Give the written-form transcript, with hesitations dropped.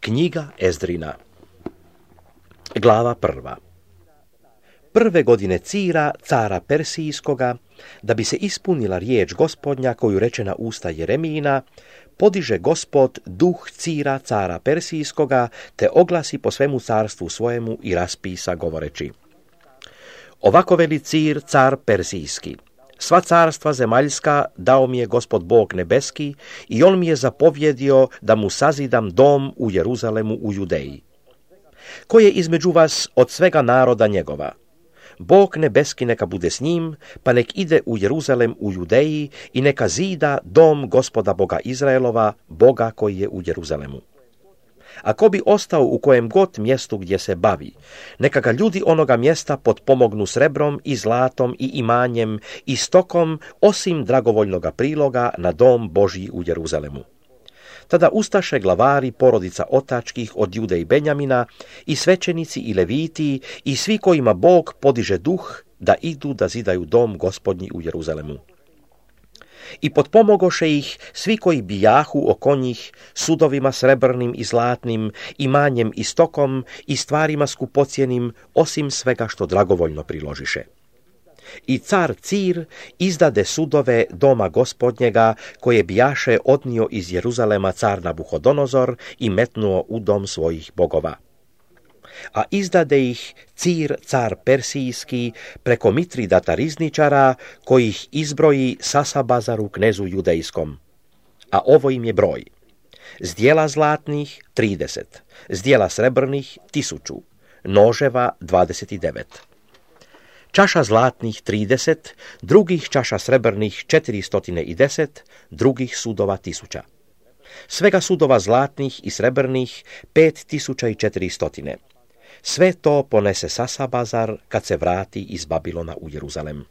Knjiga Ezdrina. Glava 1. Prve godine Cira, cara Persijskoga, da bi se ispunila riječ Gospodnja koju reče na usta Jeremijina, podiže Gospod duh Cira, cara Persijskoga, te oglasi po svemu carstvu svojemu i raspisa govoreći: Ovako veli Cir, car Persijski: Sva carstva zemaljska dao mi je Gospod Bog nebeski i on mi je zapovjedio da mu sazidam dom u Jeruzalemu u Judeji. Ko je između vas od svega naroda njegova? Bog nebeski neka bude s njim, pa nek ide u Jeruzalem u Judeji i neka zida dom Gospoda Boga Izraelova, Boga koji je u Jeruzalemu. Ako bi ostao u kojem god mjestu gdje se bavi, neka ga ljudi onoga mjesta potpomognu srebrom i zlatom i imanjem i stokom, osim dragovoljnoga priloga na dom Božji u Jeruzalemu. Tada ustaše glavari porodica otačkih od Jude i Benjamina i svećenici i leviti i svi kojima Bog podiže duh da idu da zidaju dom Gospodnji u Jeruzalemu. I potpomogoše ih svi koji bijahu oko njih sudovima srebrnim i zlatnim, imanjem i stokom i stvarima skupocjenim, osim svega što dragovoljno priložiše. I car Cir izdade sudove doma Gospodnjega koje bijaše odnio iz Jeruzalema car Nabuhodonozor i metnuo u dom svojih bogova. A izdade ih Cir, car Persijski, preko Mitridata rizničara, koji ih izbroji Sasabazaru, knezu judejskom. A ovo im je broj: zdjela zlatnih 30, zdjela srebrnih 1000, noževa 29. Čaša zlatnih 30, drugih čaša srebrnih 410, drugih sudova 1000. Svega sudova zlatnih i srebrnih 5400. Sve to ponese Sasabazar kad se vrati iz Babilona u Jeruzalem.